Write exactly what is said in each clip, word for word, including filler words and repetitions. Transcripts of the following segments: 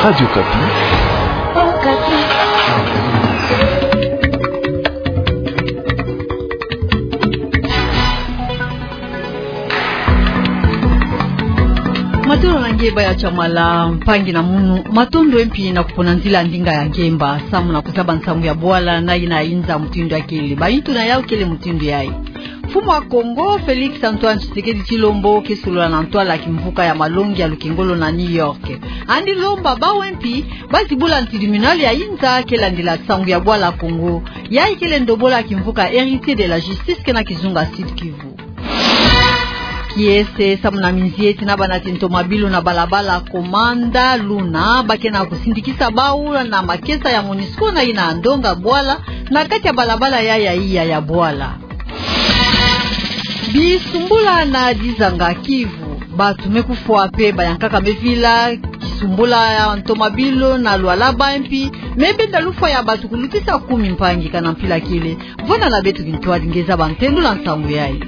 Radio Okapi. Matondo na nge baya Chamala, mpangi na munu, matondo mpe na kupona nzila ndinga ya ngemba samu na kuzaba nsangu ya bwala na ina inza mutindu ya kele. Ba intu na yau kele mutindu yayi. Mfumu wa Kongo, Félix Antoine Tshisekedi Tshilombo, ke solola na ntwala ya kimvuka ya malongi ya lukengolo na New York. Yandi lomba bawu mpe bazibula tribunal ya inza ke landila nsangu ya bwala Kongo. Yayi kele ndombolo ya kimvuka Héritier de la Justice ke na kizunga Sud-Kivu. Kiese samu na minzieti na banati ntomabilu na balabala Komanda Luna, ba ke na kusindikisa bawu na makesa ya MONUSCO na ina ndonga bwala na kati ya balabala ya, ya iya ya bwala. Bisumbula na dizanga Kivu. Batu me kufwa mpe bayankaka me vila kisumbula ya ntomabilu na Lualaba, mpe me benda lufwa ya batu kulutisa kumi mpangi kana mpila kele. Vwanda na beto kintwadi nge zaba ntendu na nsangu yayi.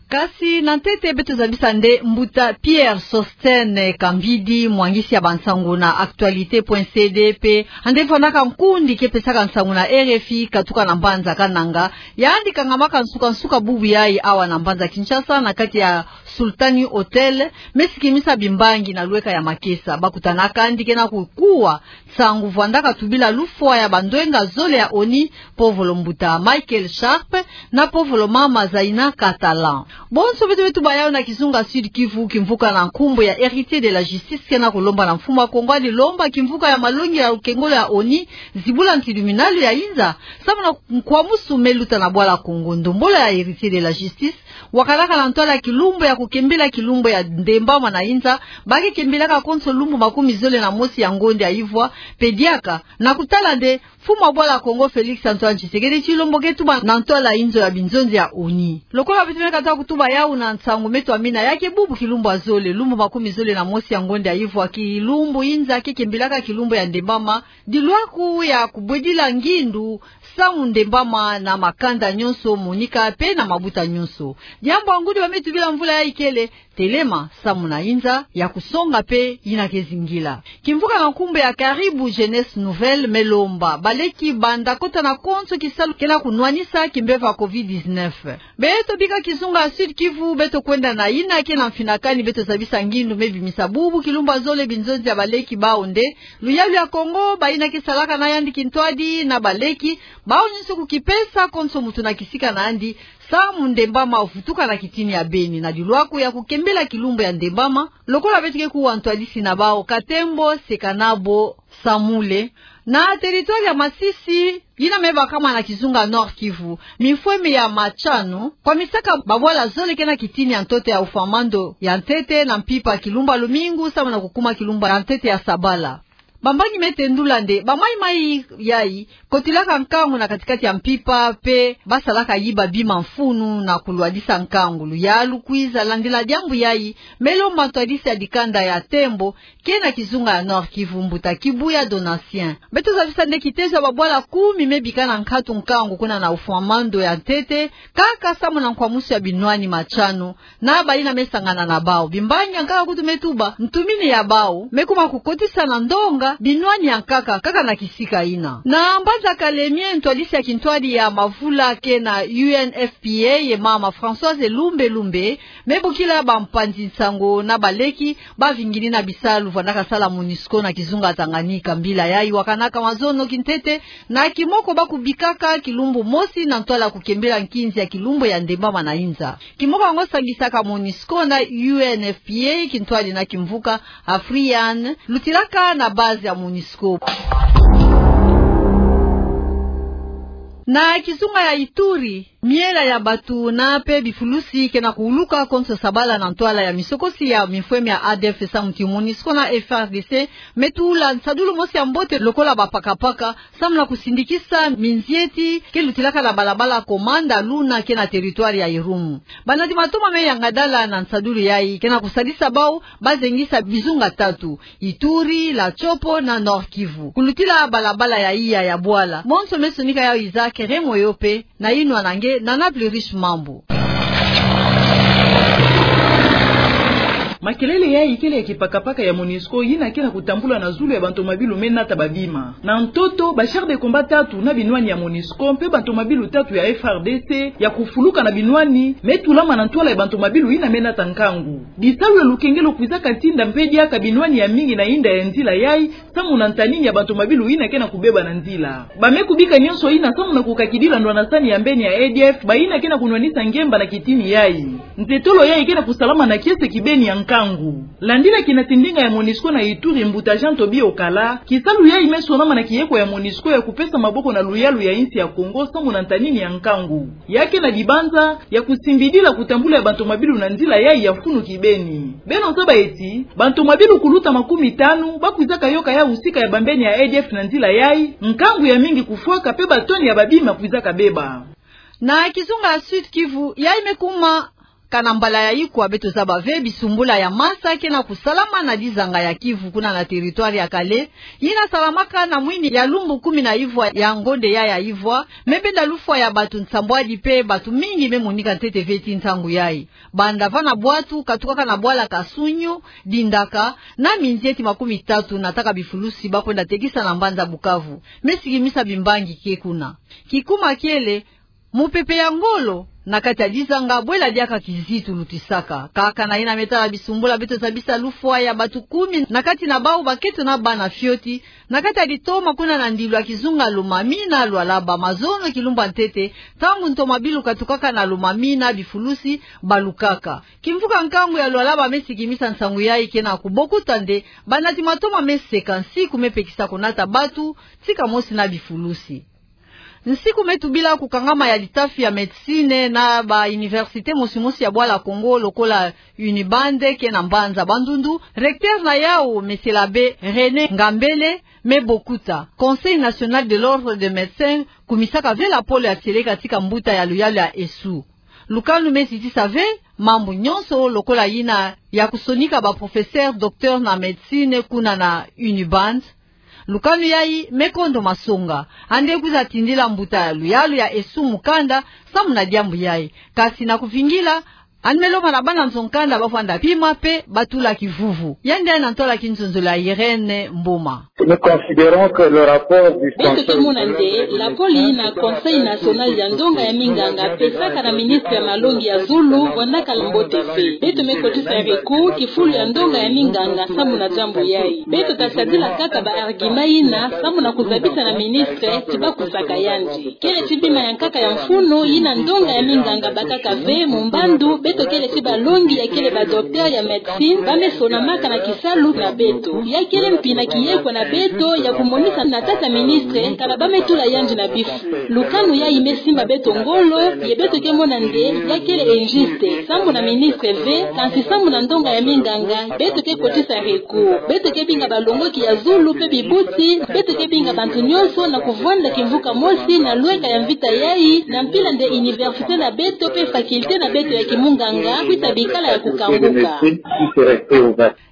Kasi na ntete beto zabisa nde mbuta Pierre Sosthène Kambidi, mwangisi ya bansangu na actualite point C D, mpe yandi vwandaka nkundi ke pesaka nsangu na R F I katuka na mbanza Kananga. Yandi kangamaka nsuka-nsuka bubu yayi awa na mbanza Kinshasa na kati ya Sultani Hotel, me sikimisa bimbangi na lweka ya makesa. Bakutanaka yandi ke na kukuwa nsangu vwandaka tubila lufwa ya bandwenga zole ya ONU, povolo mbuta Michael Sharp na povolo mama Zaina Catalan. Bonso beto beto baya na kizunga Sud-Kivu, kimvuka na nkumbu ya Héritier de la Justice ke na kulomba na mfumu wa Kongo, yandi lomba kimvuka ya malongi ya lukengolo ya ONU zibula tribunal ya inza samu na nkwamusu me luta na bwala Kongo. Ndombolo ya Héritier de la Justice wakalaka na ntwala ya kilumbu ya kukembela kilumbu ya ndembama na inza, ba ke kembelaka konso lumbu makumi zole na mosi ya ngonde ya ivwa, mpe diaka, na kutala nde mfumu wa bwala Kongo Félix Antoine Tshisekedi Tshilombo ke tuba na ntwala inzo ya binzonzi ya ONU. Lokola beto me kata kutuba yau na nsangu me twamina, ya ke bubu kilumbu ya zole, lumbu makumi zole na mosi ya ngonde ya ivwa, kilumbu inza ke kembelaka kilumbu ya ndembama, dilwaku ya kubwedila ngindu samu ndembama na makanda nyonso, monika mpe na mabuta nyonso. Diambu ya ngudi ba me tubila mvula yayi kele: telema samu na inza ya kusonga mpe yina ke zingila. Kimvuka na nkumbu ya Caribou Jeunesse Nouvelle me lomba baleki banda kota na konso kisalu ke na kunwanisa kimpeve ya covid dix-neuf. Beto bika kizunga Sud-Kivu, beto kwenda na yina ke na mfinakani, beto zabisa ngindu me bimisa bubu kilumbu ya zole binzonzi ya baleki bau nde luyalu ya Kongo, bayina ke salaka na yandi kintwadi na baleki, bau nyonso kukipesa konso mutu na kisika na yandi, samu ndembama vutuka na kitini ya beni, na dilwaku ya kukembela kilumbu ya ndembama, lokola beto ke kuwa ntwadisi na bau Katembo Sekanabo Samule. Na territoire ya Masisi, yina me bakama na kizunga Nord-Kivu, mifweme ya Matshano kwamisaka babwala zole ke na kitini ya ntoto ya ufwamando ya ntete na mpimpa kilumbu ya lumingu samu na kukuma kilumbu ya ntete ya sabala. Bambangi me tendula nde bamaimai yayi kotilaka nkangu na katikati ya mpimpa, mpe basalaka yiba bima mfunu na kulwadisa nkangu. Luyalu kwiza landila diambu yayi, me lomba ntwadisi ya dikanda ya Tembo ke na kizunga ya Nord-Kivu, mbuta Kibuya Donatien. Beto zabisa nde kitezo ya babwala kumi me bika na nkatu nkangu kuna na ufwamando ya ntete, kaka samu na nkwamusu ya binwani Matshano na bayina me sangana na bau. Bimbangi yankaka kutu me tuba ntumini ya bau me kuma kukotisa na ndonga binwani yankaka kaka na kisika yina. Na mbanza Kalemie, ntwadisi ya kintwadi ya mavula ke na U N F P A, ye mama Françoise Lumbe Lumbe, me bokila bampanzi nsangu na baleki bavingini na bisalu vwandaka sala MONUSCO na kizunga Tanganyika. Mbila yayi wakanaka mazono kintete, na kimoko bakubikaka kilumbu mosi na ntwala kukembela nkinzi ya kilumbu ya ndembama na inza. Kimoko yango sangisaka MONUSCO na U N F P A, kintwadi na kimvuka Afrian, lutilaka na base ya MONUSCO. Na kizunga ya Ituri, miela ya batu na mpe bifulusi ke na kuwuluka konso sabala na ntwala ya misokosi ya mifweme ya A D F samu ti MONUSCO na F A R D C me tula nsadulu mosi ya mbote lokola bapakapaka, samu na kusindikisa minzieti ke lutilaka na balabala Komanda Luna ke na territoire ya Irumu. Banati matoma me yangadala na nsadulu yayi ke na kusadisa bau bazengisa bizunga tatu: Ituri, la Tshopo na Nord-Kivu. Kulutila balabala ya iya ya bwala, bonso me sonika yau Isaac Remoyope, na yinwa na nge Nana Plurish Mambu. Kelele yayi kele ya kipakapaka ya MONUSCO yina ke na kutambula na zulu ya bantomabilu me nata babima. Na ntoto, ba chars de combat tatu na binwani ya MONUSCO mpe bantomabilu tatu ya F R D C ya kufuluka na binwani me tulama na ntwala ya bantomabilu yina me nata nkangu. Bisalu ya lukengelo kwizaka tinda mpe diaka binwani ya mingi na inda ya nzila yayi, samu na ntanini ya bantomabilu yina ke na kubeba na nzila. Ba me kubika nyonso yina samu na kukakidila ndwanasani ya mbeni ya A D F, bayina ke na kunwanisa ngemba na kitini yayi. Ntetolo yayi ke na kusalama na kiese kibeni ya nkangu. Landila kinatindinga ya MONUSCO na Ituri, mbuta Jean Tobi Okala, kisalu yayi me sonama na kiyekwa ya MONUSCO ya kupesa maboko na luyalu ya insi ya Kongo samu na ntanini ya nkangu. Ya ke na dibanza ya kusimbidila kutambula ya bantomabilu na nzila yayi ya funu kibeni. Beno zaba eti, bantomabilu kuluta makumi tanu ba kwizaka yoka yawu sika ya bambeni ya A D F na nzila yayi, nkangu ya mingi kufwaka mpe batoni ya babima kwizaka beba. Na kizunga ya Sud-Kivu, yayi me kuma kana mbala ya ikwa, beto zaba ve bisumbula ya masa ke na kusalama na dizanga ya Kivu, kuna na territoire ya Kale, yina salamaka na mwini ya lumbu kumi na ivwa ya ngonde yayi ya ivwa, me benda lufwa ya bato nsambwadi mpe bato mingi me monika ntete ve ti ntangu yayi. Banda vana bwatu katukaka na bwala Kasunyu, Dindaka, na minzieti makumi tatu nataka bifulusi ba kwenda tekisa na mbanza Bukavu, me sikimisa bimbangi ke kuna. Kikuma kiele, mupepe ya ngolo na kati ya dizanga, bwela diaka kizitu lutisaka. Kaka na yina me tala bisumbula, beto zabisa lufwa ya bato kumi, na kati na bawu bakento na bana fioti, na kati ya ditoma kuna na ndilu ya kizunga Lomami na Lualaba, mazono kilumbu ya ntete, ntangu ntomabilu katukaka na Lomami na bifulusi balukaka. Kimvuka nkangu ya Lualaba me sikimisa nsangu yayi ke na kubokuta nde banati matoma me seka nsiku me pekisa kunata bato, tika mosi na bifulusi. Nsiku me tubila kukangama ya litafi ya médecine na ba université mosi mosi ya bwala Kongo lokola Uniband ke na mbanza Bandundu, recteur na yawu, Monsieur l'abbé René Ngambele, me bokuta. Conseil national de l'ordre des médecins kumisaka ve lapolo ya tieleka tika mbuta ya luyalu ya ESSU. Lukanu me zitisa ve mambu nyonso lokola yina ya kusonika ba professeur, docteur na médecine kuna na Uniband. Lukanu yayi me kondo masonga. Andi kwiza tindila mbuta ya luyalu ya ESSU mukanda samu na diambu yayi. Kasi na kuvingila, andi me lomba na bana nzo-nkanda ba vwanda pima mpe ba tula kivuvu. Yandi na ntwala kinzonzolo ya Irène Mboma. Nous considérons que le rapport du Beto ke mona nde lapolo yina Conseil national ya ndonga ya minganga pesaka na ministre ya malongi ya zulu vwandaka mbote ve. Beto me kotisa recours kifulu ya ndonga ya minganga samu na diambu yayi. Beto ta sadila kaka ba argument yina samu na kuzabisa na ministre ti ba kusaka yandi. Kele ti bima ya nkaka ya mfunu yina ndonga ya minganga bakaka ve mu mbandu, beto kele ti balongi ya kele ba docteur ya médecine ba me sonamaka na kisalu na beto. Ya kele mpi na kiyekwa na beto ya kumonisa na tata ministre kana ba me tula yandi na bifu. Lukanu yayi me simba beto ngolo, ye beto ke mona nde ya kele injuste. Samu na ministre ve, kansi samu na ndonga ya minganga, beto ke kotisa recours. Beto ke binga balongoki ya zulu mpe bibuti, beto ke binga bantu nyonso na kuvwanda kimvuka mosi na lweka ya mvita yayi, na mpila nde université na beto mpe faculté na beto ya kimunganga kwisa bikala ya kukanguka.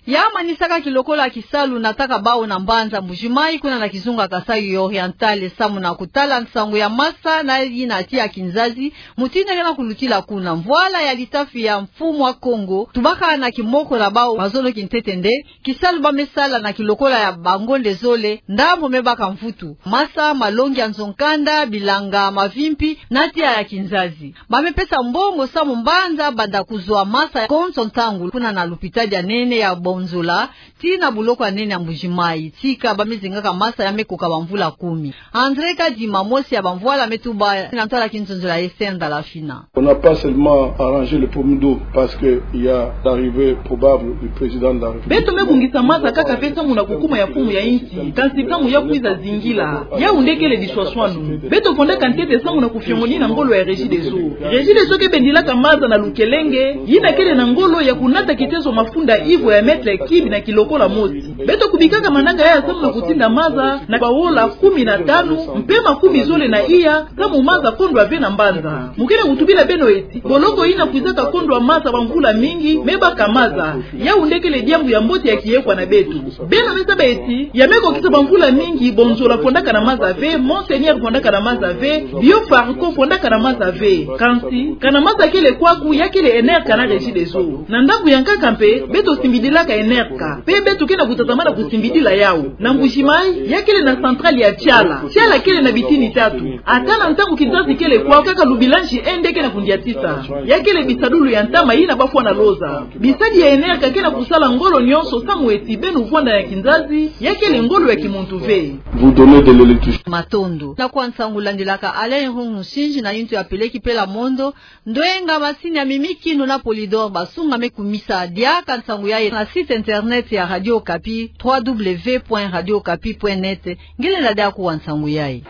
Ya manisaka kilokola kisalu nataka bawu na mbanza Mbuji-Mayi, kuna na kizunga Kasaï Oriental, samu na kutala nsangu ya masa na yina tiya kinzazi, mutindu ke na kulutila kuna. Mvwala ya litafi ya Mfumu a Kongo tubaka na kimoko na bawu mazono kintete nde kisalu ba me sala na kilokola ya bangonde zole, ndambo me baka mvutu. Masa, malongi ya nzo-nkanda, bilanga, mavimpi, na tiya ya kinzazi. Ba me pesa mbongo samu mbanza banda kuzwa masa konso ntangu, kuna na lupitadi ya nene ya Bonzola, tii na buloko ya nene ya Mbuji-Mayi. Tika ba me zengaka masa ya me koka bamvula kumi. André Kadima, mosi ya bamvwala, me tuba na ntwala kinzonzolo ya Esther Ndalafina. On n'a pas seulement arrangé le problème d'eau parce que il y a l'arrivée probable du président de la République. Beto me bongisa masa kaka mpe samu na kukuma ya mfumu ya insi, kansi samu ya kwiza zingila. Yawu nde kele diswaswanu. Beto fondaka ntete samu na kufiongonina ngolo ya Regideso. Regideso ke bendilaka masa na Lukelenge, yina kele na ngolo ya kunata kitezo mafunda ivwa ya mètre cube na kilokola mosi. Beto kubikaka manaka yayi samu na kutinda masa na bawola kumi na tanu, mpe makumi zole na iya, samu masa kondwa ve na mbanza. Mu ke na kutubila beno eti boloko yina kwizaka kondwa masa bamvula mingi, me baka masa. Yawu nde kele diambu ya mbote ya kiyekwa na beto. Beno me zaba eti, ya me kokisa bamvula mingi, Bonzola fondaka na masa ve, Monseigneur fondaka na masa ve, Bio Farcon fondaka na masa ve. Kansi, kana masa kele kwaku, ya Kele Enerka na Regideso. Na ndambu ya nkaka mpe, beto simbidilaka Enerka. Mpe beto ke na kutatamana kusimbidila yawu. Na Mbuji-Mayi, ya kele na centrale ya Tiala. Tiala kele na bitini tatu. Ata na ntangu kinzazi kele kwao, kaka lubila nge nde ke na kundiatisa. Ya kele bisadulu ya ntama yina bafwana loza. Bisadi ya Enerka ke na kusala ngolo nyonso samu eti beno vwanda ya kinzazi, ya kele ngolo ya kimuntu ve. Vous donner de l'électricité. Matondo. Na kwa nsangu landilaka Alain Irung Musinji na yintu ya peleki pela mondo, ndoyenga masini ya mimikinu na Polydor basungame kumisa. Diaka nsangu yayi na site internet ya Radio Okapi, trois W point radio okapi point net. Ngelenda diaku wa nsangu yayi.